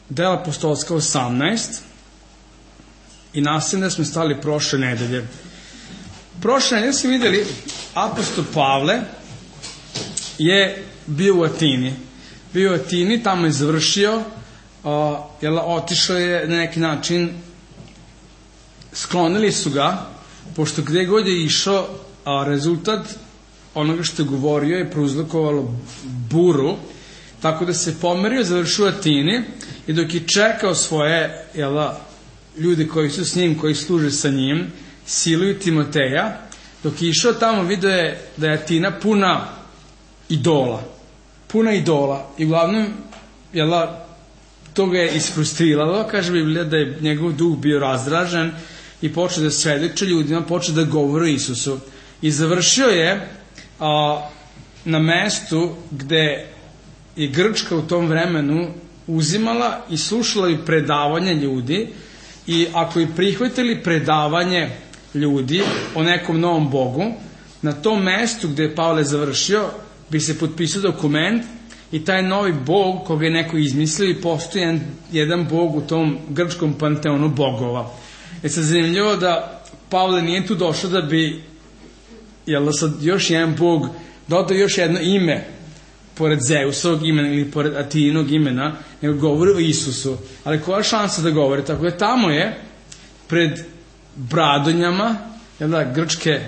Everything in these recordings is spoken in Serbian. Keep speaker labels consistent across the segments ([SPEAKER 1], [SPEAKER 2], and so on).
[SPEAKER 1] Dela apostolska 18 i nastavljamo da smo stali prošle nedelje. Prošle nedelje smo vidjeli apostol Pavle je bio u Atini. Bio u Atini, tamo je završio, otišao je na neki način, sklonili su ga, pošto gde god je išao, rezultat onoga što je govorio je prouzrokovalo buru, tako da se pomerio, završio u Atini i dok je čekao svoje ljude koji su s njim, koji služe sa njim, Silu i Timoteja, dok je išao tamo vidio je da je Atina puna idola i uglavnom to ga je isfrustriralo, kaže Biblija da je njegov duh bio razdražen i počeo da svedoči ljudima, počeo da govori o Isusu i završio je na mestu gde je Grčka u tom vremenu uzimala i slušala i predavanje ljudi i ako je prihvatili predavanje ljudi o nekom novom Bogu, na tom mestu gde je Pavle završio bi se potpisao dokument i taj novi Bog koga je neko izmislio i postoji jedan Bog u tom grčkom panteonu bogova. Sad zanimljivo da Pavle nije tu došao da bi sad još jedan Bog dodao još jedno ime pored Zeusovog imena ili pored Atinog imena, nego govori o Isusu. Ali koja je šansa da govori? Tako da tamo je pred bradonjama grčke,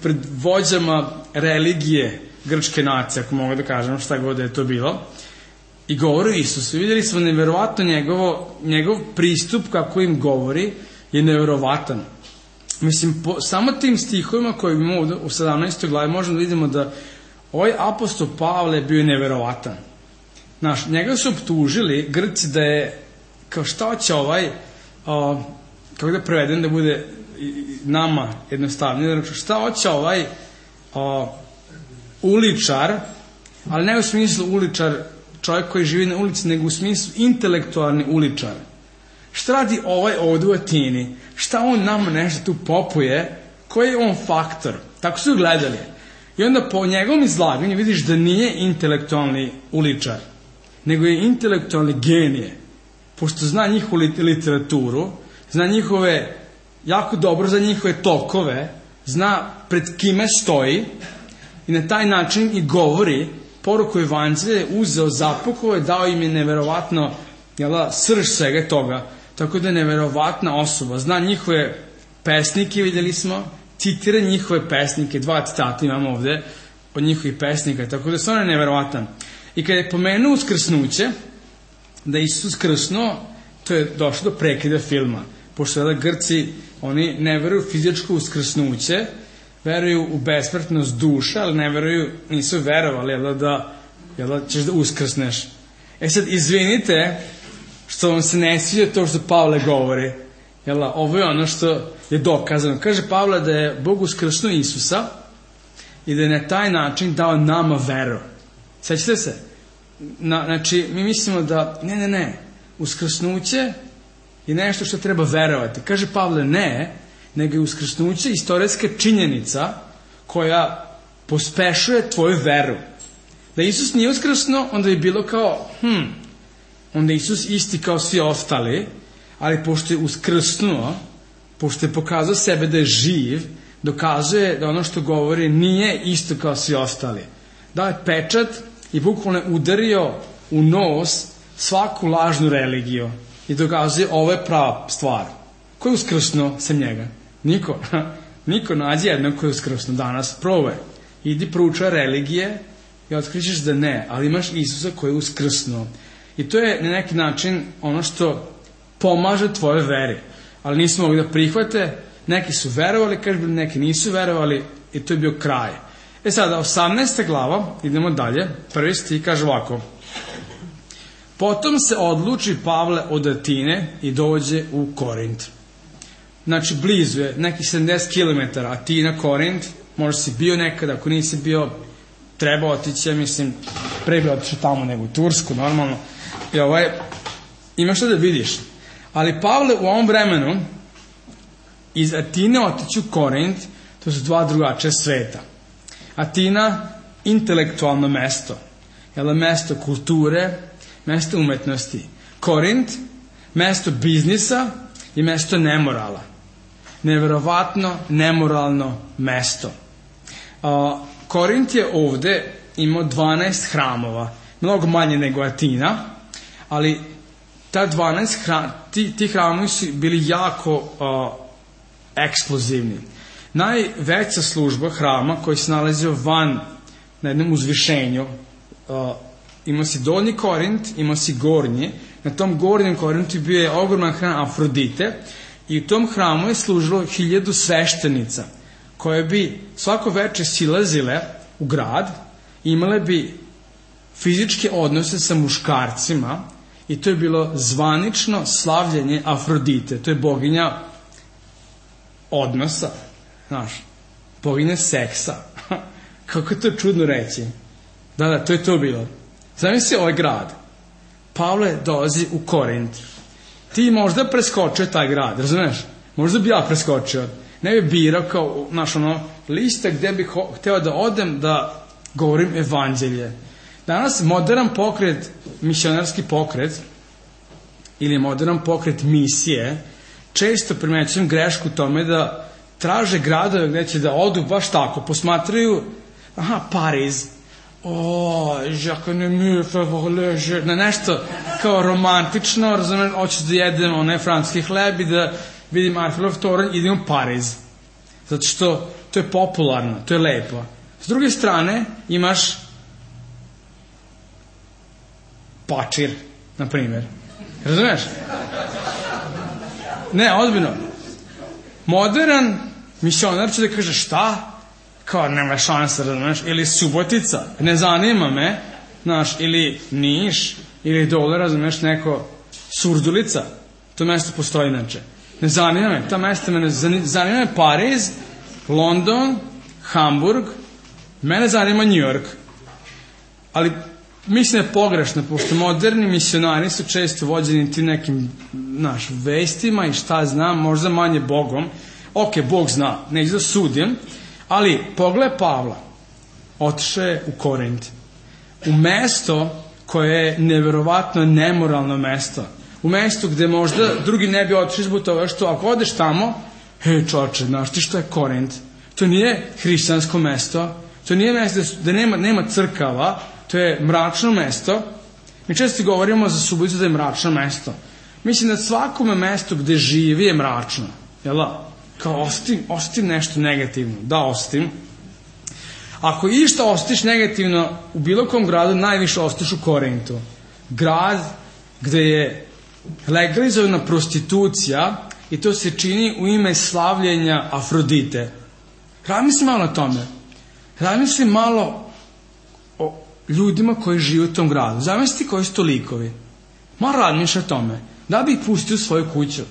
[SPEAKER 1] pred vođama religije grčke nacije, ako mogu da kažem šta god je to bilo, i govori o Isusu. Vidjeli smo nevjerovatno njegov pristup kako im govori je nevjerovatan. Mislim, samo tim stihovima koje imamo u 17. glavi možemo da vidimo da ovaj apostol Pavle bio nevjerovatan. Njega su optužili Grci da je, kao šta će kako da prevedem da bude nama jednostavnije, šta hoće uličar, ali ne u smislu uličar, čovjek koji živi na ulici, nego u smislu intelektualni uličar. Šta radi ovdje u Atini? Šta on nama nešto tu popuje? Koji je on faktor? Tako su gledali. I onda po njegovom izlaganju vidiš da nije intelektualni uličar, nego je intelektualni genije. Pošto zna njihovu literaturu, zna njihove, jako dobro za njihove tokove, zna pred kime stoji i na taj način i govori poruku evanđelja, uzeo, zapukao je, dao im je neverovatno srž svega toga. Tako da je neverovatna osoba. Zna njihove pesnike, vidjeli smo, citira njihove pesnike, 2 citata imamo ovde od njihovih pesnika, tako da je stvarno neverovatan. I kada je pomenuo uskrsnuće, da je Isus krsnuo, to je došlo do prekida filma. Pošto Grci, oni ne veruju u fizičko uskrsnuće, veruju u besmrtnost duša, ali ne veruju, nisu verovali da ćeš da uskrsneš. Sad, izvinite što vam se ne sviđa to što Pavle govori. Ovo je ono što je dokazano. Kaže Pavle da je Bog uskrsnuo Isusa i da je na taj način dao nama veru. Sećate se? Znači, mi mislimo da ne, uskrsnuće je nešto što treba verovati. Kaže Pavle ne, nego je uskrsnuće istorijska činjenica koja pospešuje tvoju veru. Da Isus nije uskrsnuo, onda je bilo kao, onda je Isus isti kao svi ostali, ali pošto je uskrsnuo, pošto je pokazao sebe da je živ, dokazuje da ono što govori nije isto kao svi ostali. Dao je pečat i bukvalno je udario u nos svaku lažnu religiju i dokazuje ovo je prava stvar. Ko je uskrsnuo sem njega? Niko nađe jednog ko je uskrsnuo danas. Probaj. Idi proučaj religije i otkrićeš da ne, ali imaš Isusa koji je uskrsnuo. I to je na neki način ono što pomaže tvoje veri. Ali nisu mogli da prihvate, neki su verovali, neki nisu verovali i to je bio kraj. Sada, 18. glava, idemo dalje, prvi stih kaže ovako. Potom se odluči Pavle od Atine i dođe u Korint. Znači, blizu je, neki 70 km, Atina, Korint, možda si bio nekada, ako nisi bio, treba otići, ja mislim, pre bi otišao tamo nego u Tursku, normalno. I imaš što da vidiš. Ali Pavle u ovom vremenu iz Atine otići u Korint, to su 2 drugačija sveta. Atina, intelektualno mesto, mesto kulture, mesto umetnosti. Korint, mesto biznisa i mesto nemorala. Neverovatno nemoralno mesto. Korint je ovde imao 12 hramova, mnogo manje nego Atina, ali ti hramovi su bili jako eksplozivni. Najveća služba hrama koji se nalazio van na jednom uzvišenju, imao si donji Korint, imao si gornji. Na tom gornjem Korintu bio je ogroman hram Afrodite i u tom hramu je služilo 1000 sveštenica koje bi svako veče silazile u grad, imale bi fizičke odnose sa muškarcima i to je bilo zvanično slavljenje Afrodite. To je boginja odnosa, znaš, boginja seksa. Kako je to čudno reći. Da, to je to bilo. Zamisli ovaj grad. Pavle dolazi u Korint. Ti možda preskočio taj grad, razumeš? Možda bi ja preskočio. Ne bi birao kao, znaš, lista gde bih hteo da odem da govorim evanđelje. Danas modern pokret, misionarski pokret ili modern pokret misije, često primećujem grešku tome da traže gradove gde će da odu baš tako, posmatraju, Pariz, na nešto kao romantično, razumem, hoću da jedem onaj francuski hleb i da vidim Arhelov toranj, idem u Pariz. Zato što to je popularno, to je lepo. S druge strane, imaš Pačir, na primjer. Razumeš? Ne, ozbiljno. Modern misionar će da kaže šta? Kao nema šansa, razumeš? Ili Subotica, ne zanima me, znaš, ili Niš, ili dole, razumeš, neko Surdulica. To mesto postoji inače. Ne zanima me, ta mesta me ne zanima me Pariz, London, Hamburg, mene zanima New York. Ali mislim da je pogrešno, pošto moderni misionari su često vođeni tim nekim vestima i šta znam, možda manje Bogom. Ok, Bog zna, neću da sudim, ali pogledaj Pavla, otišao je u Korint, u mesto koje je neverovatno nemoralno mesto, u mesto gde možda drugi ne bi otišli zbog toga što ako odeš tamo, čoče, znaš ti što je Korint? To nije hrišćansko mesto, to nije mesto gde nema crkava, to je mračno mesto. Mi često govorimo za Suboticu da je mračno mesto. Mislim da svakome mesto gde živi je mračno. Jel da? Kao ostim nešto negativno. Da, ostim. Ako išta ostiš negativno u bilo kom gradu, najviše ostiš u Korintu. Grad gde je legalizovana prostitucija i to se čini u ime slavljenja Afrodite. Razmisli malo o tome. Razmisli malo o ljudima koji žive u tom gradu. Zamisli koji su to likovi. Malo razmišlja o tome. Da bi ih pustio u svoju kuću.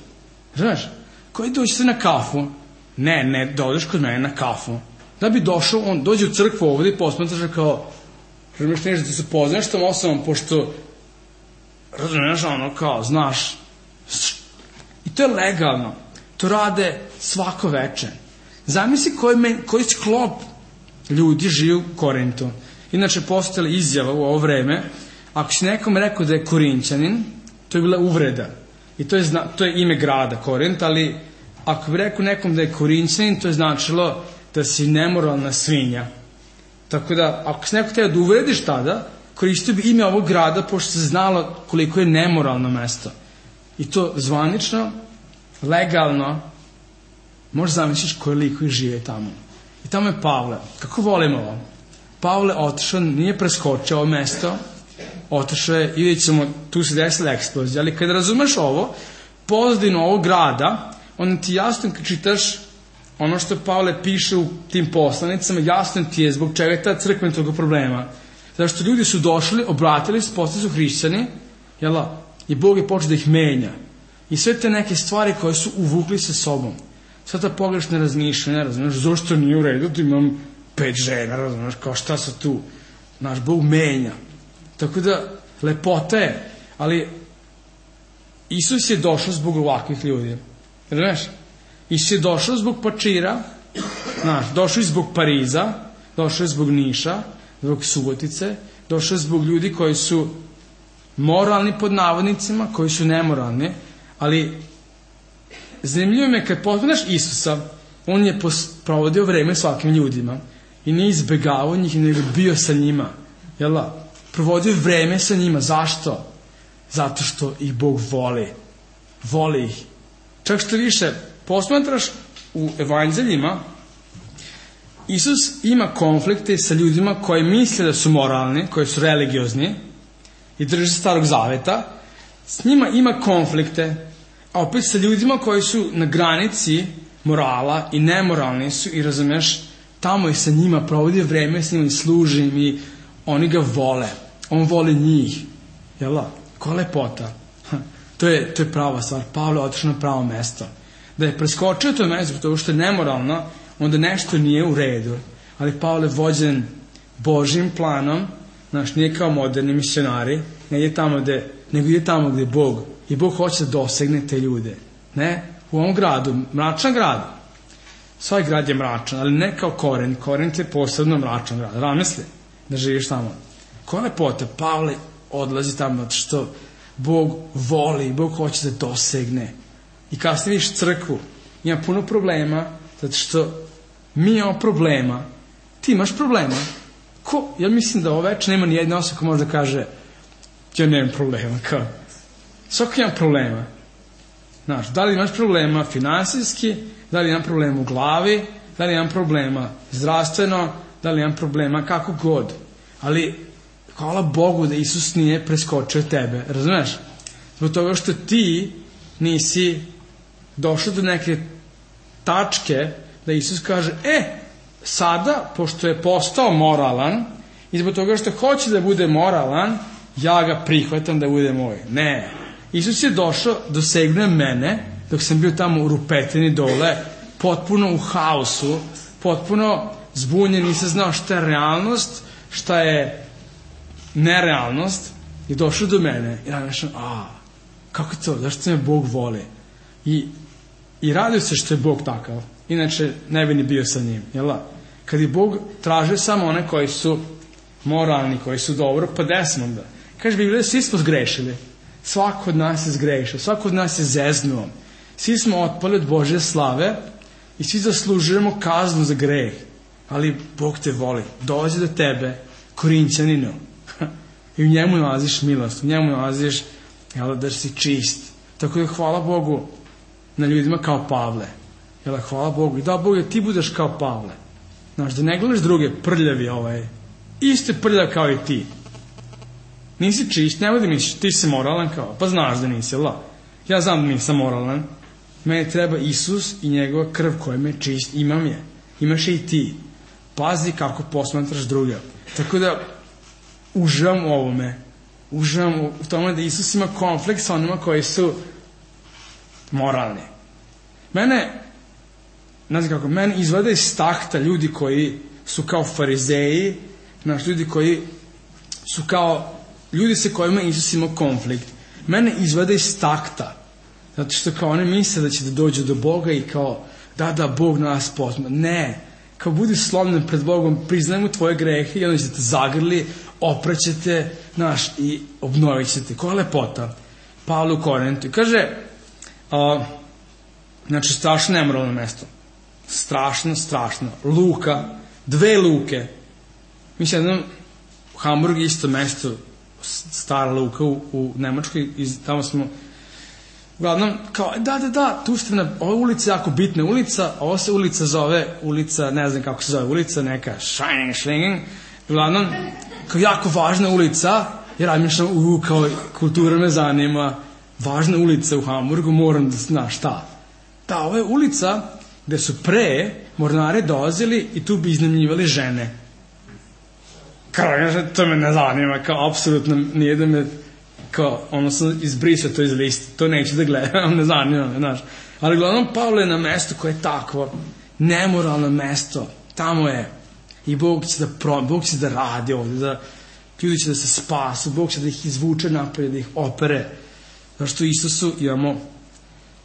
[SPEAKER 1] Znaš, koji dođe se na kafu? Ne, dođeš kod mene na kafu. Da bi došao, on dođe u crkvu ovdje i posmatraš kao, razumiješ nešto da se poznaš tom osobom, pošto razumiješ kao, znaš. I to je legalno. To rade svako veče. Zamisli koji sklop ljudi živi u Korintu. Inače, postojala izjava u ovo vreme, ako si nekom rekao da je Korinćanin, to je bila uvreda. I to je ime grada, Korint, ali ako bi rekao nekom da je Korinćanin, to je značilo da si nemoralna svinja. Tako da, ako si neko teo da uvrediš tada, koristio bi ime ovog grada, pošto se znalo koliko je nemoralno mesto. I to zvanično, legalno, možeš zamisliš koji likovi žive tamo. I tamo je Pavle. Kako volimo ovo? Pavle otišao, nije preskočio ovo mesto, otišao je i vidjet ćemo, tu se desila eksplozija. Ali kad razumeš ovo, pozadinu ovog grada, onda ti jasno kad čitaš ono što Pavle piše u tim poslanicama, jasno ti je zbog čega je ta crkva toga problema. Zato što ljudi su došli, obratili se, postali su hrišćani, i Bog je počeo da ih menja. I sve te neke stvari koje su uvukli sa sobom. Sve ta pogrešna razmišljanja, razumiješ, zašto nije u redu da imam 5 žena, razumiješ, kao šta su tu. Naš Bog menja. Tako da, lepota je, ali Isus je došao zbog ovakvih ljudi. Razumiješ? Isus je došao zbog Pačira, došao je zbog Pariza, došao je zbog Niša, zbog Subotice, došao je zbog ljudi koji su moralni pod navodnicima, koji su nemoralni, ali zanimljivo me kad poznaš Isusa, on je provodio vreme svakim ljudima i nije izbegavao njih, nego bio sa njima. Jel da? Provodio vreme sa njima. Zašto? Zato što ih Bog voli. Voli ih. Čak što više posmatraš u evanđeljima, Isus ima konflikte sa ljudima koji misle da su moralni, koji su religiozni i drže se Starog Zaveta. S njima ima konflikte, a opet sa ljudima koji su na granici morala i nemoralni su i razumeš, tamo i sa njima provodi vreme, s njima i služi im i oni ga vole. On voli njih. Jel da? Koja lepota. To je prava stvar. Pavle je otišao na pravo mesto. Da je preskočio to mesto zato što je nemoralno, onda nešto nije u redu. Ali Pavle vođen Božjim planom, znaš, nije kao moderni misionari, nego ide tamo gdje je Bog. I Bog hoće da dosegne te ljude. Ne? U ovom gradu, mračan grad. Svoj grad je mračan, ali ne kao Korint. Korint je posebno mračan grad. Razmisli da živiš tamo. Koja lepota, Pavle odlazi tamo zato što Bog voli, Bog hoće da dosegne. I kasnije vidiš crkvu, ima puno problema, zato što mi imamo problema. Ti imaš problema. Ja mislim da ovo već nema ni jedna osoba ko može da kaže ja nemam problema. Svako ima problema. Znaš, da li imaš problema finansijski, da li imam problema u glavi, da li imam problema zdravstveno, da li imam problema kako god. Ali hvala Bogu da Isus nije preskočio tebe. Razumeš? Zbog toga što ti nisi došao do neke tačke da Isus kaže, sada, pošto je postao moralan i zbog toga što hoće da bude moralan, ja ga prihvatam da bude moj. Ne. Isus je došao, dosegnuo mene, dok sam bio tamo u rupetini dole, potpuno u haosu, potpuno zbunjen, nisam znao šta je realnost, šta je nerealnost, i došao do mene i razmišljam, kako je to, zašto me Bog voli? I radio se što je Bog takav, inače ne bi ni bio sa njim, jel da? Kad je Bog tražio samo one koji su moralni, koji su dobro, pa desmo onda. Kaže Biblija, svi smo zgrešili, svako od nas je zgrešio, svako od nas je zeznuo, svi smo otpali od Božje slave i svi zaslužujemo kaznu za greh, ali Bog te voli, dolazi do tebe, Korinćaninu, i u njemu nalaziš milost, u njemu nalaziš da si čist. Tako da hvala Bogu na ljudima kao Pavle. Hvala Bogu. I da Bog ti budeš kao Pavle. Znaš, da ne gledaš druge prljavi isto je prljav kao i ti. Nisi čist, nemoj da misliš, ti si moralan kao, pa znaš da nisi, ja znam da nisam moralan. Meni treba Isus i njegova krv koja me čist, imam je. Imaš je i ti. Pazi kako posmatraš druge. Tako da uživam u ovome. Uživam u tome da Isus ima konflikt sa onima koji su moralni. Mene izvade iz takta ljudi koji su kao farizeji, ljudi koji su kao ljudi sa kojima Isus ima konflikt. Mene izvade iz takta. Zato što kao oni misle da će da dođu do Boga i kao da Bog nas posma. Ne. Kao budi slomljen pred Bogom, priznaj mu tvoje grehe i onda će te zagrli, opraćete, i obnovit ćete. Koja lepota. Pavle u Korintu. Kaže, strašno nemoralno mesto. Strašno. Luka, 2 luke. Mislim, jednom u Hamburgu isto mesto, stara luka u Nemačkoj, tamo smo, uglavnom, kao, da, tu ste ova ulica je jako bitna ulica, ova se ulica zove, ne znam kako se zove ulica, neka Schwingen, uglavnom, kao jako važna ulica, jer razmišljam, kao kultura me zanima, važna ulica u Hamburgu, moram da znaš šta. Da, ovo je ulica gde su pre mornari dolazili i tu bi iznajmljivali žene. Kao, to me ne zanima, kao, apsolutno nije da me, kao, sam izbrisao to iz liste, to neću da gledam, ne zanima me, znaš. Ali uglavnom Pavle je na mesto koje je takvo, nemoralno mesto, tamo je, i Bog će da radi ovdje, da ljudi će da se spasu, Bog će da ih izvuče napolje, da ih opere, zašto u Isusu imamo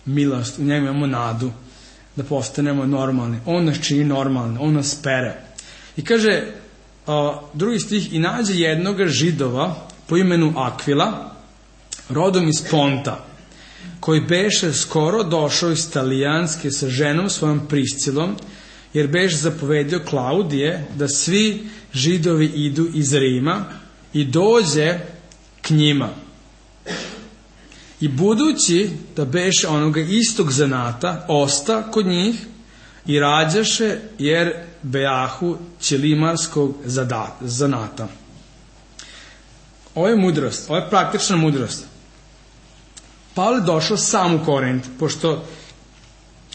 [SPEAKER 1] milost, u njemu imamo nadu, da postanemo normalni, on nas čini normalni, on nas pere. I kaže, drugi stih, i nađe jednoga Židova po imenu Akvila, rodom iz Ponta, koji beše skoro došao iz Talijanske sa ženom svojom Priscilom, jer beše zapovedio Klaudije da svi Židovi idu iz Rima i dođe k njima. I budući da beše onoga istog zanata, osta kod njih i rađaše, jer bejahu ćelimarskog zanata. Ovo je mudrost, ovo je praktična mudrost. Pavle došao sam u Korint, pošto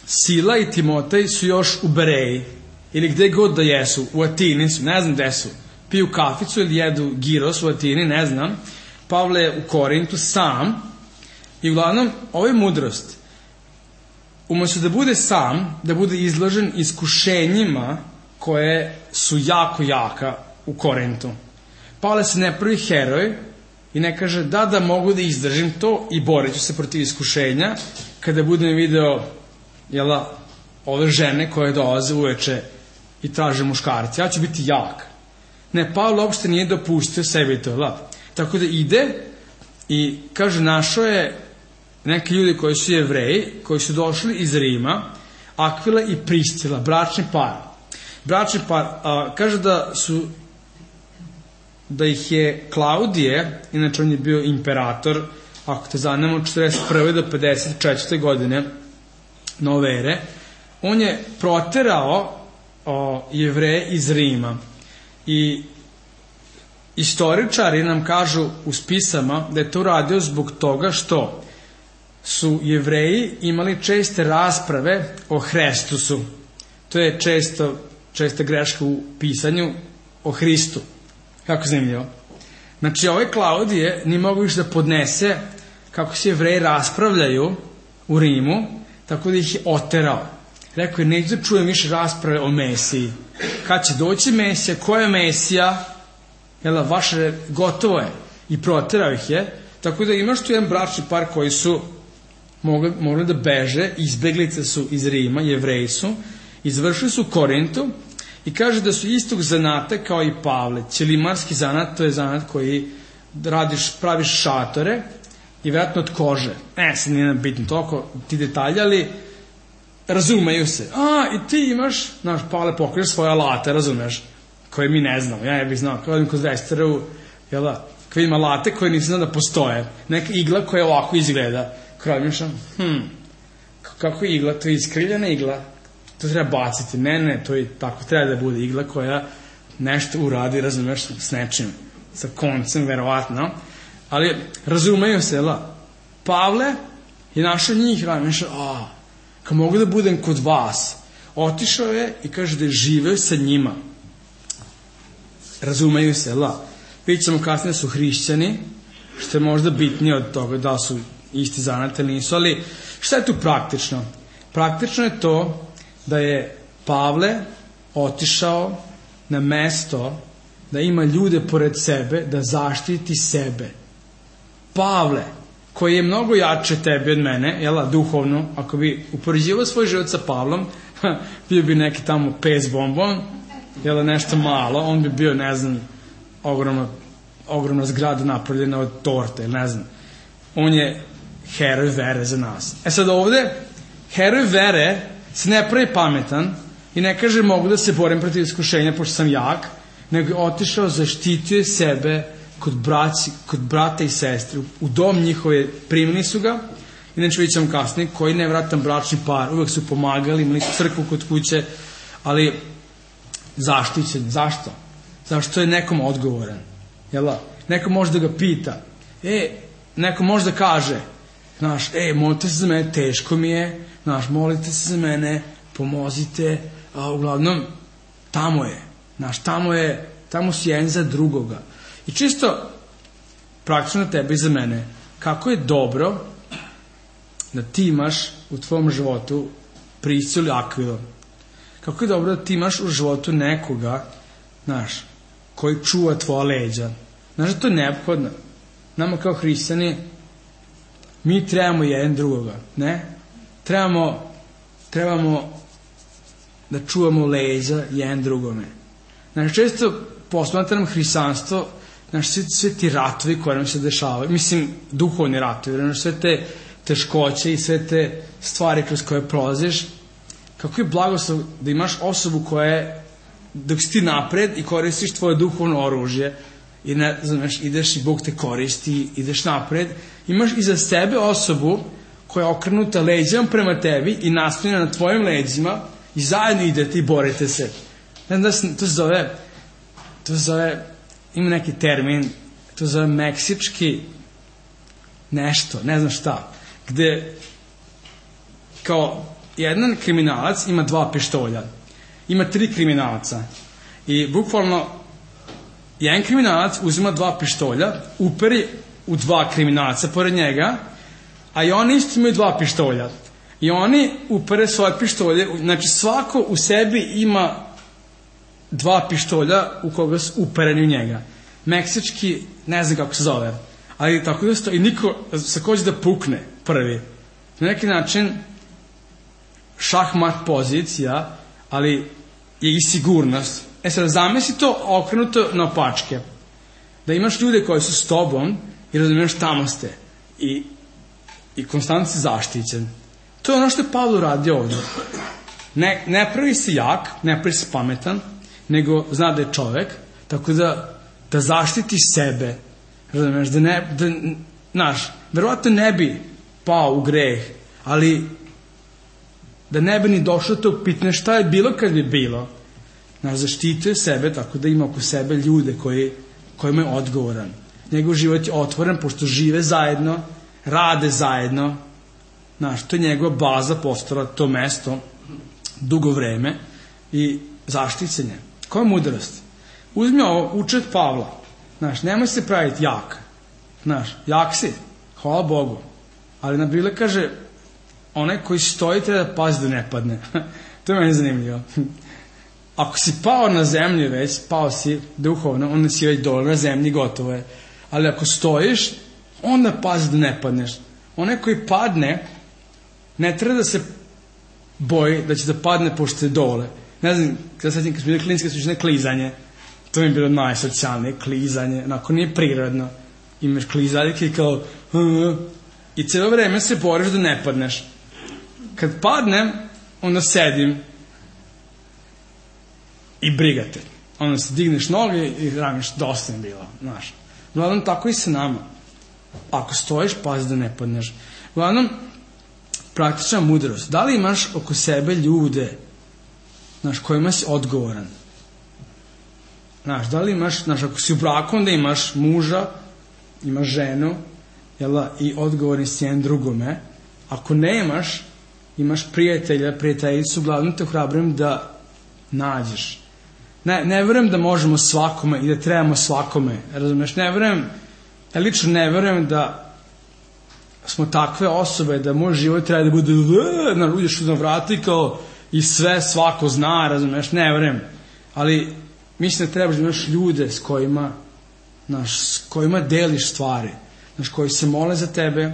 [SPEAKER 1] Sila i Timotej su još u Bereji, ili gde god da jesu, u Atini su, ne znam gde su, piju kaficu ili jedu giros u Atini, ne znam. Pavle je u Korintu sam i uglavnom ovo je mudrost. Umesto da bude sam, da bude izložen iskušenjima koje su jako jaka u Korintu. Pavle se ne pravi heroj i ne kaže da mogu da izdržim to i borit ću se protiv iskušenja kada budem video ove žene koje dolaze uveče i traže muškarci. Ja ću biti jak. Ne, Pavle uopšte nije dopustio sebi to. Tako da ide i kaže našao je neki ljudi koji su Jevreji, koji su došli iz Rima, Akvila i Priscila, bračni par. Bračni par, kaže da ih je Klaudije, inače on je bio imperator, ako te zanima, od 41. do 54. godine nove ere, on je proterao Jevreje iz Rima. I istoričari nam kažu u spisama da je to radio zbog toga što su Jevreji imali česte rasprave o Hristusu. To je česta greška u pisanju o Hristu. Kako zanimljivo. Znači, ovaj Klaudije nije mogu više da podnese kako se Jevreji raspravljaju u Rimu, tako da ih je oterao. Rekao je, neću da čujem više rasprave o Mesiji. Kad će doći Mesija, koja je Mesija? Vaše gotovo je. I proterao ih je. Tako da imaš tu jedan bračni par koji su mogli da beže, izbeglice su iz Rima, Jevreji su, izvršili su u Korintu i kaže da su istog zanata kao i Pavle. Ćelimarski zanat, to je zanat koji praviš šatore i vjerojatno od kože. Sad nije bitno toliko ti detalji, ali razumeju se. I ti imaš, Pavle pokriš svoje alate, razumeš, koje mi ne znamo. Ja ne bih znao, kao odim kod Vesteru, koji ima alate koje nisam znao da postoje. Neka igla koja ovako izgleda. Kraljušam, kako je igla? To je iskrivljena igla. To treba baciti. Ne, to je tako. Treba da bude igla koja nešto uradi, razumeš, s nečim. Sa koncem, verovatno. Ali razumeju se, Pavle je našao njih, kao mogu da budem kod vas. Otišao je i kaže da je živeo sa njima. Razumeju se, vidjet ćemo kasnije su hrišćani, što je možda bitnije od toga da su isti zanat ili nisu, ali šta je tu praktično? Praktično je to da je Pavle otišao na mesto da ima ljude pored sebe, da zaštiti sebe. Pavle, koji je mnogo jače tebi od mene, duhovno, ako bi upoređivao svoj život sa Pavlom, bio bi neki tamo pes bombon, nešto malo, on bi bio, ne znam, ogromna zgrada napravljena od torte, ne znam. On je heroj vere za nas. Sad ovde, heroj vere se ne pravi pametan i ne kaže mogu da se borim protiv iskušenja pošto sam jak, nego je otišao, zaštitio sebe kod brata i sestre. U dom njihove primili su ga, inače vidjet ćemo kasnije, koji nevratan bračni par, uvek su pomagali, imali su crkvu kod kuće, ali zaštićen. Zašto? Zašto je nekom odgovoran? Neko može da ga pita, neko može da kaže, molite se za mene, teško mi je, molite se za mene, pomozite, a uglavnom, tamo je, tamo si jedan za drugoga. I čisto, praktično na tebe i za mene, kako je dobro da ti imaš u tvojom životu Priscilu ili Akvilu. Kako je dobro da ti imaš u životu nekoga, koji čuva tvoja leđa. Da to je neophodno. Nama kao hrišćani, mi trebamo jedan drugoga, ne? Trebamo da čuvamo leđa jedan drugome. Često posmatram hrišćanstvo znaš, sve ti ratovi koji nam se dešavaju, mislim, duhovni ratovi, znaš, sve te teškoće i sve te stvari kroz koje prolaziš, kako je blagoslov da imaš osobu koja je, dok si ti napred i koristiš tvoje duhovno oružje i ne, znaš, ideš i Bog te koristi, ideš napred, imaš iza sebe osobu koja je okrenuta leđima prema tebi i naslonjena na tvojim leđima i zajedno idete i borite se. Ne znam, to se zove, ima neki termin, to se zove meksički nešto, ne znam šta, gde kao jedan kriminalac ima 2 pištolja, ima 3 kriminalca i bukvalno jedan kriminalac uzima 2 pištolja, uperi u 2 kriminalca pored njega, a i oni isto imaju 2 pištolja i oni upere svoje pištolje, znači svako u sebi ima 2 pištolja u koga su upereni u njega. Meksički, ne znam kako se zove, ali tako da stoji i niko se hoće da pukne prvi. Na neki način šahmat pozicija, ali je i sigurnost. Sad zamisli to okrenuto na opačke. Da imaš ljude koji su s tobom i razumiješ tamo ste i konstantno si zaštićen. To je ono što je Pavle uradio ovdje. Ne pravi se jak, ne pravi se pametan, nego zna da je čovek, tako da zaštiti sebe. Razumiješ, znaš, verovatno ne bi pao u greh, ali da ne bi ni došlo to pitanje šta je bilo kad bi bilo. Znaš, zaštituje sebe tako da ima oko sebe ljude kojima je odgovoran. Njegov život je otvoren pošto žive zajedno, rade zajedno. Znaš, to je njegova baza postala, to mesto, dugo vreme i zaštićenje. Koja je mudrost? Uzmi ovo, uči od Pavla. Znaš, nemoj se praviti jak. Znaš, jak si, hvala Bogu. Ali na Biblia kaže, onaj koji stoji treba da pazi da ne padne. To je meni zanimljivo. Ako si pao na zemlji već, pao si duhovno, onda si već dole na zemlji, gotovo je. Ali ako stojiš, onda pazi da ne padneš. Onaj koji padne, ne treba da se boji da će da padne pošto je dole. Ne znam, kada sad kad smo bili klinički, su klizanje. To mi je bilo najsocijalnije, klizanje. Onako nije prirodno. Imaš klizaljke i kao i cijelo vreme se boriš da ne padneš. Kad padnem, onda sedim i brigate. Onda se digneš noge i ramiš, dosta je bilo, znaš. Uglavnom, tako i sa nama. Ako stojiš, pazi da ne padneš. Uglavnom, praktična mudrost. Da li imaš oko sebe ljude, znaš, kojima si odgovoran? Znaš, da li imaš, znaš, ako si u braku, onda imaš muža, imaš ženu, jela, i odgovorni si jedan drugome. Ako ne imaš prijatelja, prijateljicu, uglavnom te ohrabrujem da nađeš. Ne verujem da možemo svakome i da trebamo svakome, razumeš, ja lično ne verujem da smo takve osobe da moj život treba da bude uđeš na vrata i kao i sve svako zna, razumeš, ne verujem, ali mislim da trebaš da imaš ljude s kojima deliš stvari, znaš, koji se mole za tebe,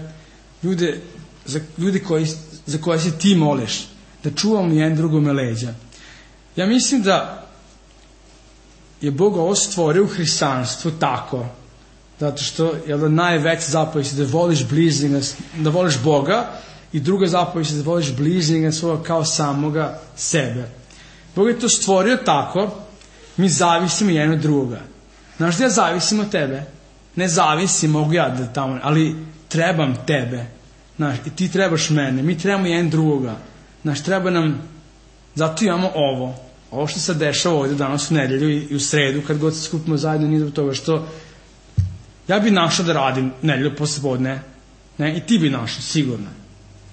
[SPEAKER 1] ljude za koje se ti moliš, da čuvamo jedan drugome leđa. Ja mislim da je Bog ovo stvorio u hrišćanstvu tako, zato što je da najveća zapovijed je da voliš bližnjega, da voliš Boga, i druga zapovijed je da voliš bližnjega svoga kao samoga sebe. Bog je to stvorio tako, mi zavisimo jedan od drugoga. Znaš da ja zavisim od tebe? Ne zavisim, mogu ja da tamo, ali trebam tebe. Znaš, i ti trebaš mene, mi trebamo jedan drugoga. Znaš, treba nam, zato imamo ovo što se dešava ovdje danas u nedelju i u sredu, kad god se skupimo zajedno, nije zbog toga što ja bi našao da radim nedelju poslepodne, ne, i ti bi našao, sigurno.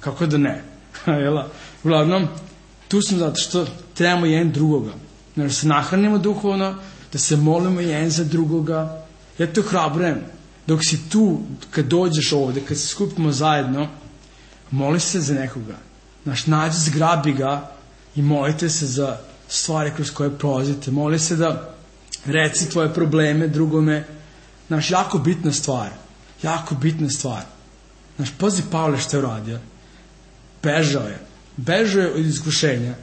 [SPEAKER 1] Kako da ne? Uglavnom, tu smo zato što trebamo jedan drugoga. Da se nahranimo duhovno, da se molimo jedan za drugoga. Ja te ohrabrujem, dok si tu, kad dođeš ovdje, kad se skupimo zajedno, moli se za nekoga. Znaš, nađi, zgrabi ga i molite se za stvari kroz koje prolazite. Moli se da reci tvoje probleme drugome. Znaš, jako bitna stvar. Znaš, pazi Pavle što je uradio. Bežao je od iskušenja.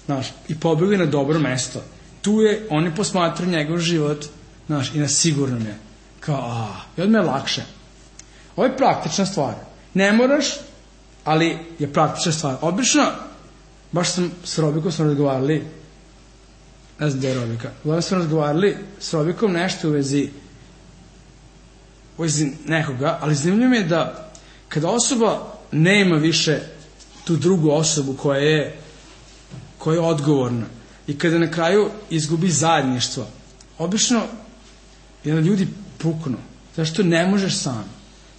[SPEAKER 1] Znaš, i pobegao je na dobro mesto. Tu je, oni posmatruju njegov život, znaš, i na sigurnom je. Kao, i odmah je lakše. Ovo je praktična stvar. Ne moraš, ali je praktična stvar. Obično, baš sam s Robikom razgovarali, ne znam gde je Robika, uglavnom smo razgovarali s Robikom nešto u vezi nekoga, ali zanimljivo mi je da kada osoba nema više tu drugu osobu koja je odgovorna i kada na kraju izgubi zajedništvo, obično ljudi puknu. Zašto ne možeš sam?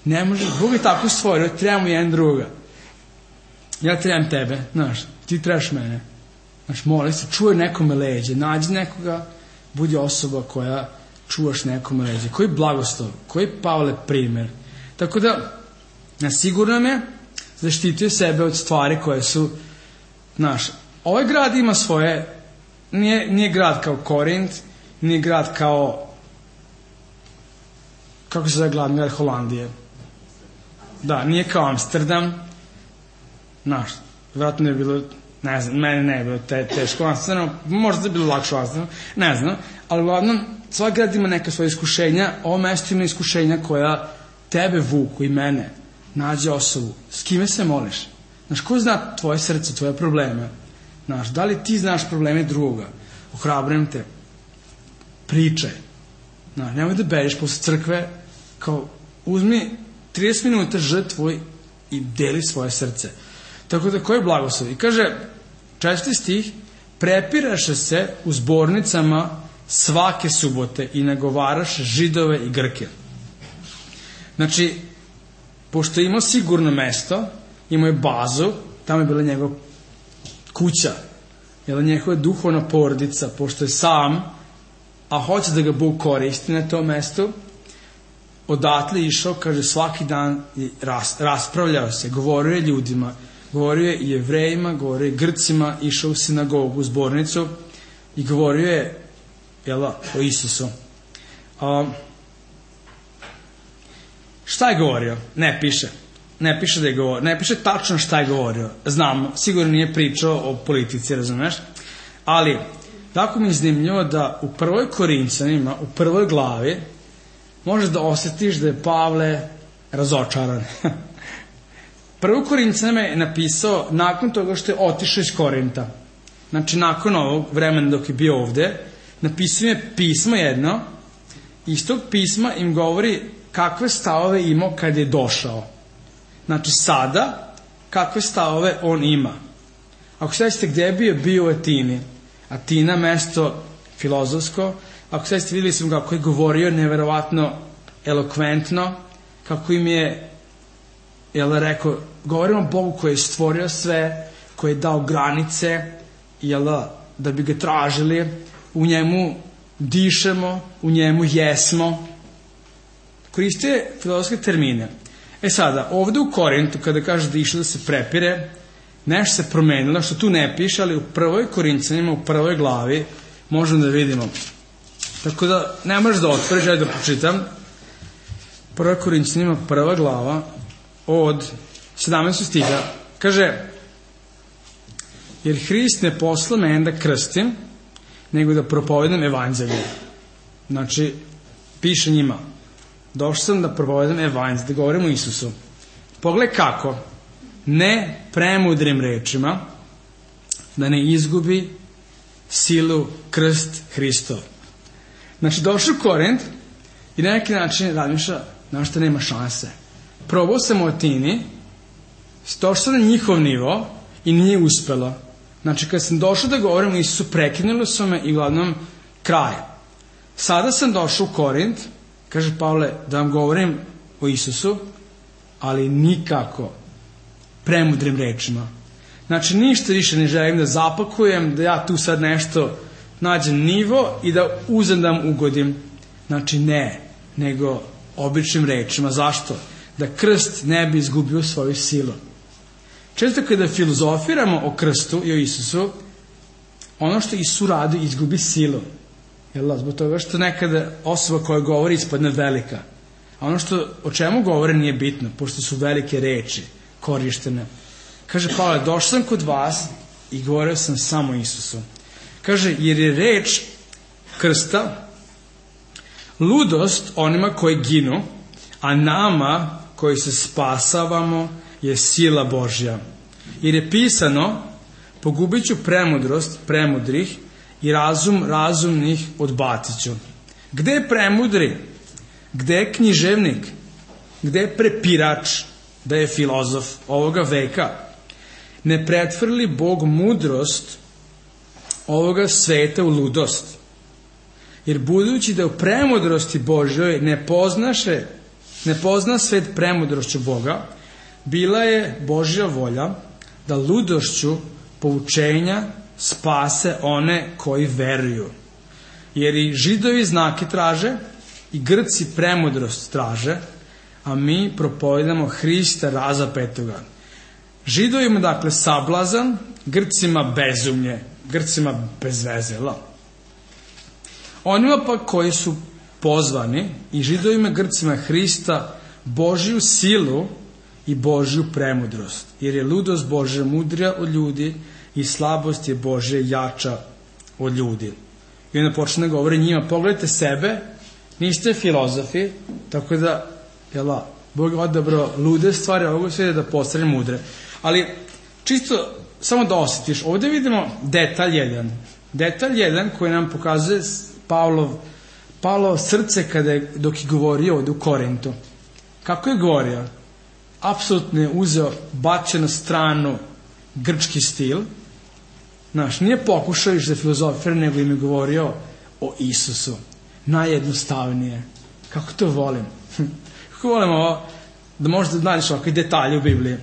[SPEAKER 1] Ne možeš, Bog je tako stvorio, trebamo jedan druga. Ja trebam tebe, znaš, ti trebaš mene. Znaš, moli se, čuje nekome leđe, nađi nekoga, budi osoba koja čuvaš nekome leđe. Koji blagoslov, koji Pavle primer. Tako da, sigurno me zaštitio sebe od stvari koje su, znaš, ovaj grad ima svoje, nije grad kao Korint, nije grad kao, kako se zove glavni grad Holandije. Da, nije kao Amsterdam, znaš, vjerojatno je bilo, ne znam, meni ne je bilo teško u Amsterdamu, možda je bilo lakše u Amsterdamu, ne znam, ali uglavnom, svak grad ima neka svoje iskušenja, ovo mesto ima iskušenja koja tebe vuku i mene, nađe osobu, s kime se moliš? Znaš, ko zna tvoje srce, tvoje probleme? Znaš, da li ti znaš probleme druga? Ohrabrujem te, pričaj. Znaš, nemoj da beriš posle crkve, kao uzmi 30 minuta žrtvuj i deli svoje srce. Tako da, koji je blagoslov? I kaže, 4. stih, prepiraše se u zbornicama svake subote i nagovaraše Židove i Grke. Znači, pošto je imao sigurno mesto, imao je bazu, tamo je bila njegova kuća, je njegova duhovna porodica, pošto je sam, a hoće da ga Bog koristi na tom mestu, odatle išao, kaže, svaki dan raspravljao se, govorio je ljudima, govorio je i Jevrejima, govorio je Grcima, išao u sinagogu, u zbornicu i govorio je o Isusu. Šta je govorio? Ne piše. Ne piše da je govorio. Ne piše tačno šta je govorio. Znam, sigurno nije pričao o politici, razumeš? Ali, tako mi je zanimljivo da u 1. Korinćanima, u 1. glavi, možeš da osjetiš da je Pavle razočaran. 1. Korinćanima je napisao nakon toga što je otišao iz Korinta. Znači, nakon ovog vremena dok je bio ovde, napisao je pismo jedno, i iz tog pisma im govori kakve stavove imao kad je došao. Znači, sada, kakve stavove on ima. Ako sećate gdje je bio u Atini. Atina, mesto filozofsko. Ako sećate, vidjeli smo kako je govorio neverovatno elokventno, kako im je rekao, govorimo o Bogu koji je stvorio sve, koji je dao granice, da bi ga tražili, u njemu dišemo, u njemu jesmo. Koriste filozofske termine. Sada, ovdje u Korintu, kada kaže da išao da se prepire, nešto se promenilo, što tu ne piše, ali u 1. Korinćanima, u 1. glavi, možemo da vidimo. Tako da, ne možeš da otvoriš, ja da pročitam. 1. Korinćanima, 1. glava, od 17. stiha, kaže, jer Hrist ne posla mene da krstim, nego da propovedam evanđelje. Znači, piše njima, došao sam da propovedam evanđelje, da govorim o Isusu. Pogledaj kako, ne premudrim rečima, da ne izgubi silu krst Hristov. Znači, došao u Korint i na neki način razmišlja, znaš što nema šanse. Probao sam u Atini, došao sam na njihov nivo i nije uspelo. Znači, kad sam došao da govorim o Isusu, prekinuli su me i uglavnom kraj. Sada sam došao u Korint, kaže Pavle, da vam govorim o Isusu, ali nikako premudrim rečima. Znači, ništa više ne želim da zapakujem, da ja tu sad nešto nađem nivo i da uzem da vam ugodim. Znači, ne, nego običnim rečima. Zašto? Da krst ne bi izgubio svoju silu. Često kada filozofiramo o krstu i o Isusu, ono što Isus radi izgubi silu. Zbog toga što nekada osoba koja govori ispadne velika. A ono o čemu govore nije bitno, pošto su velike reči korištene. Kaže Pavle, došao sam kod vas i govorio sam samo Isusu. Kaže, jer je reč krsta Ludost onima koji ginu, a nama koji se spasavamo je sila Božja. Jer je pisano, pogubit ću premudrost premudrih i razum razumnih odbacit ću. Gde je premudri? Gde je književnik? Gde je prepirač da je filozof ovoga veka? Ne pretvrli Bog mudrost ovoga sveta u ludost. Jer budući da u premudrosti Božjoj ne pozna svet premudrošću Boga, bila je Božja volja da ludošću poučenja spase one koji veruju. Jer i Židovi znake traže, i Grci premudrost traže, a mi propovedamo Hrista razapetoga. Židovima dakle sablazan, Grcima bezumlje, Grcima bezvezela. Onima pa koji su pozvani, i Židovima Grcima Hrista, Božju silu i Božju premudrost. Jer je ludost Božja mudrija od ljudi i slabost je Božja jača od ljudi. I onda počne da govori njima, pogledajte sebe, niste filozofi, tako da, Bog je odabrao lude stvari ovog svijeta da postane mudre. Ali, čisto, samo da osjetiš, ovdje vidimo detalj jedan koji nam pokazuje Pavlovo srce dok je govorio ovdje u Korintu. Kako je govorio? Apsolutno je uzeo, bačen na stranu grčki stil. Nije pokušao iš da filozofira, nego im je govorio o Isusu. Najjednostavnije. Kako to volim. Kako volim ovo, da možda nađeš ovakve detalje u Bibliji.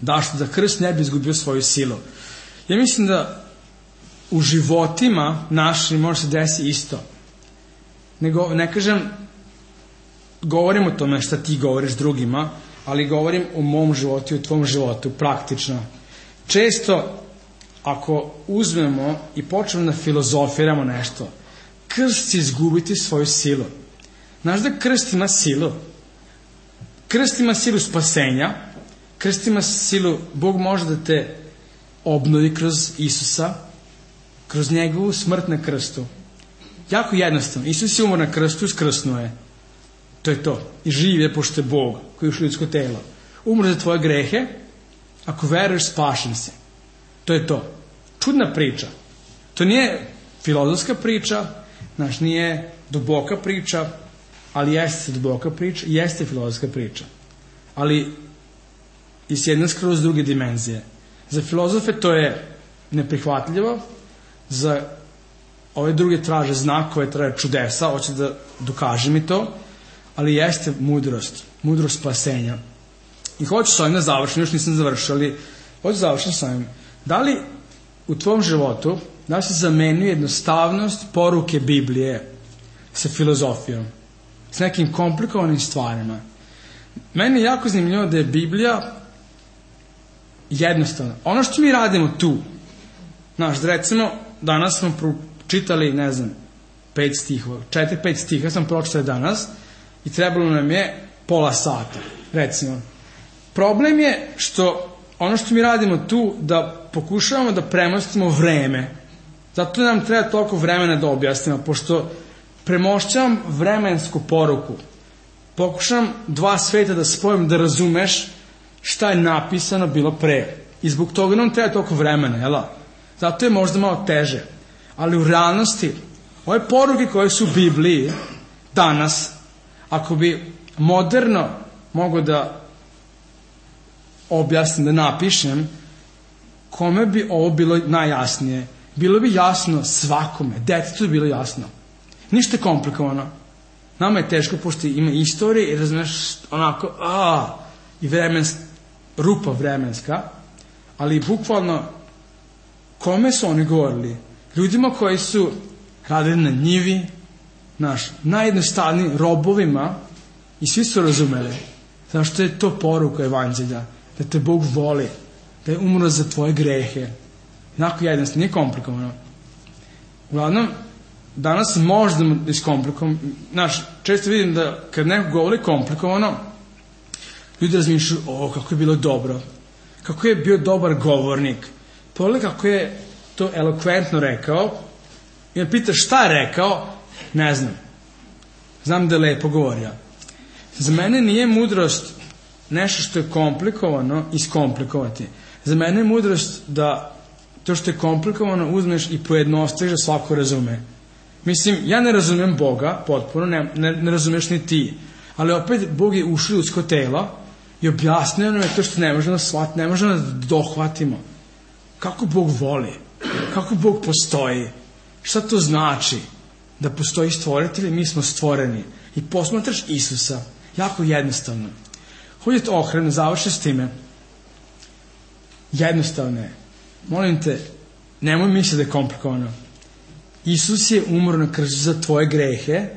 [SPEAKER 1] Da krst ne bi izgubio svoju silu. Ja mislim da u životima našim može se desi isto. Ne kažem, govorim o tome šta ti govoriš drugima, ali govorim o mom životu i o tvom životu, praktično. Često, ako uzmemo i počnemo da filozofiramo nešto, krst će izgubiti svoju silu. Znaš da krst ima silu? Krst ima silu spasenja, krst ima silu, Bog može da te obnovi kroz Isusa, kroz njegovu smrt na krstu. Jako jednostavno. Isus je umor na krstu, skrsnuo je. To je to. I živ je, pošto je Bog koji je ušao u ljudsko telo. Umro za tvoje grehe, ako veruješ, spašen si. To je to. Čudna priča. To nije filozofska priča, nije duboka priča, ali jeste duboka priča, jeste filozofska priča. Ali iz jedne skroz druge dimenzije. Za filozofe to je neprihvatljivo, za ove druge traže znakove, traže čudesa, hoće da dokaže mi to, ali jeste mudrost spasenja. I hoću s ovim da završim, još nisam završio, ali hoću završiti s ovim. Da li u tvom životu, da li se zamenio jednostavnost poruke Biblije sa filozofijom, s nekim komplikovanim stvarima? Meni je jako zanimljivo da je Biblija jednostavna. Ono što mi radimo tu, recimo, danas smo pročitali, 5 stihova, 4-5 stiha sam pročitali danas i trebalo nam je pola sata, recimo. Problem je što ono što mi radimo tu, da pokušavamo da premostimo vreme. Zato nam treba toliko vremena da objasnimo, pošto premošćavam vremensku poruku. Pokušavam 2 sveta da spojim, da razumeš šta je napisano bilo pre. I zbog toga nam treba toliko vremena, jel? Zato je možda malo teže. Ali u realnosti, ove poruke koje su u Bibliji danas, ako bi moderno mogo da objasnim, da napišem, kome bi ovo bilo najjasnije? Bilo bi jasno svakome, detetu je bilo jasno. Ništa komplikovano. Nama je teško, pošto ima istorije i razumeš onako, i rupa vremenska, ali bukvalno, kome su oni govorili? Ljudima koji su radili na njivi, najjednostavnijim robovima, i svi su razumeli. Zašto je to poruka evanđelja? Da te Bog voli, da je umro za tvoje grehe. Jednako jednostavno, nije komplikovano. Uglavnom, danas možda da iskomplikujem. Često vidim da kad neko govori komplikovano, ljudi razmišljaju, kako je bilo dobro. Kako je bio dobar govornik. Pogledaj kako je to elokventno rekao. I me pitaš šta je rekao, ne znam. Znam da je lepo govorio. Za mene nije mudrost nešto što je komplikovano iskomplikovati. Za mene je mudrost da to što je komplikovano uzmeš i pojednostaviš da svako razume. Mislim, ja ne razumem Boga potpuno, ne razumeš ni ti. Ali opet Bog je ušao u ljudsko telo i objasnio nam je to što ne možemo shvatiti, ne možemo da dohvatimo. Kako Bog voli? Kako Bog postoji? Šta to znači? Da postoji stvoritelj i mi smo stvoreni. I posmatraš Isusa. Jako jednostavno. Hođete ohranu, završi s time. Jednostavno je. Molim te, nemoj misliti da je komplikovano. Isus je umro na krstu za tvoje grehe,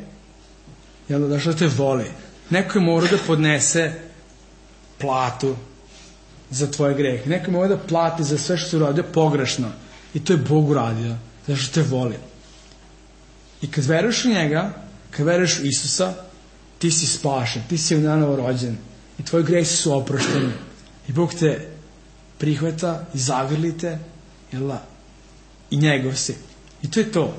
[SPEAKER 1] jel da što te voli. Neko je morao da podnese platu za tvoje grehe. Neko je morao da plati za sve što se uradio pogrešno. I to je Bog uradio, zašto te voli. I kad veruješ u njega, kad veruješ u Isusa, ti si spašen, ti si nanovo rođen. I tvoji grehi su oprošteni. I Bog te prihvata i zagrlite, jel da? I njegov si. I to je to.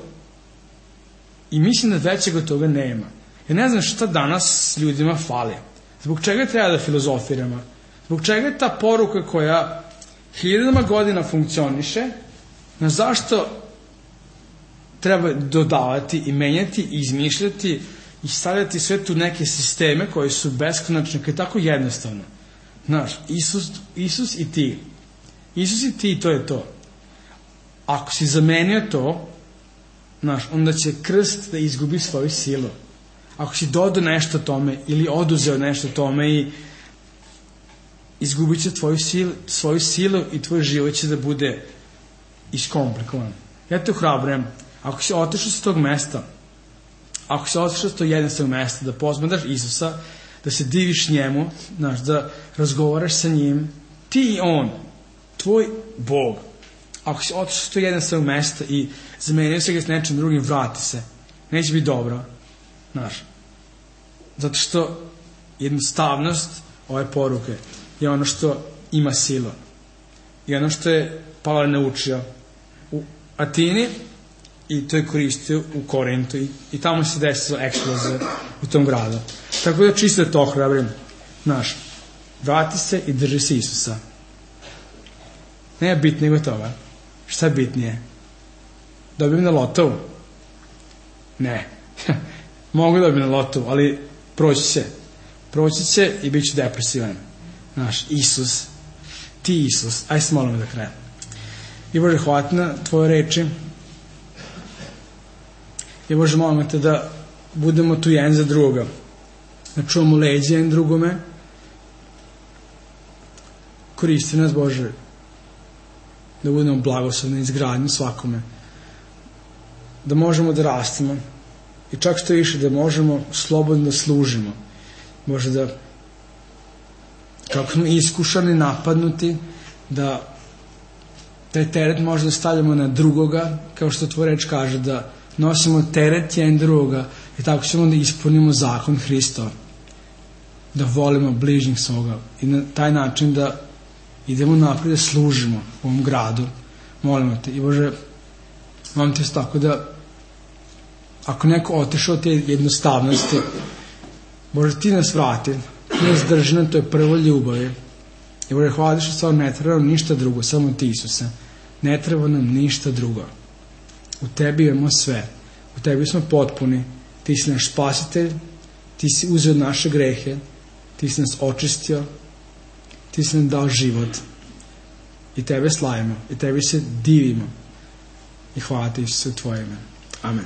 [SPEAKER 1] I mislim da većeg od toga nema. Ja ne znam šta danas ljudima fali. Zbog čega treba da filozofiramo? Zbog čega je ta poruka koja hiljadama godina funkcioniše, na zašto treba dodavati i menjati i izmišljati i stavljati sve tu neke sisteme koji su beskonačni, koji je tako jednostavno. Znaš, Isus i ti. Isus i ti, to je to. Ako si zamenio to, znaš, onda će krst da izgubi svoju silu. Ako si dodao nešto tome ili oduzeo nešto tome i izgubit će svoju silu i tvoj život će da bude iskomplikovan. Ja te ohrabrujem, ako si otišao s tog mesta, ako si otišao s tog jednostavnog mesta, da posmatraš Isusa, da se diviš njemu, znaš, da razgovaraš sa njim, ti i on, tvoj Bog. Ako si otišao s tog jednostavnog mesta i zamenio se ga s nečim drugim, vrati se. Neće biti dobro. Znaš. Zato što jednostavnost ove poruke je ono što ima silu. I ono što je Pavle naučio u Atini i to je koristio u Korintu i tamo se desila eksplozija u tom gradu. Tako da čisto da to ohrabrim. Znaš, vrati se i drži se Isusa. Nema bitnije nego toga. Šta je bitnije? Dobijem na lotovu? Ne. Mogu dobijem na lotovu, ali proći će i bit ću depresivan. Znaš, Isus, ti Isus, aj se molimo da krajem. I Bože, hvala na tvoje reči. I Bože, molimo te da budemo tu jedan za druga, da čuvamo leđe jedan drugome. Koristi nas, Bože, da budemo blagoslovni izgradnju svakome, da možemo da rastemo i čak što više da možemo slobodno da služimo. Bože, da kako smo iskušani, napadnuti, da taj teret možda stavljamo na drugoga, kao što tvoj reč kaže, da nosimo teret jedan drugoga i tako ćemo da ispunimo zakon Hristov, da volimo bližnjih svoga i na taj način da idemo naprijed da služimo u ovom gradu. Molimo te. I Bože, molim te tako da ako neko otišao od te jednostavnosti, Bože, ti nas vrati, ti nas drži na toj prvoj ljubavi. I Bože, hvala što stvarno ne treba nam ništa drugo, samo ti, Isuse. Ne treba nam ništa drugo. U tebi imamo sve. U tebi smo potpuni. Ti si naš spasitelj, ti si uzeo naše grehe, ti si nas očistio, ti si nam dao život i tebe slavimo i tebi se divimo i hvala ti, Isuse, u tvoje ime. Amen.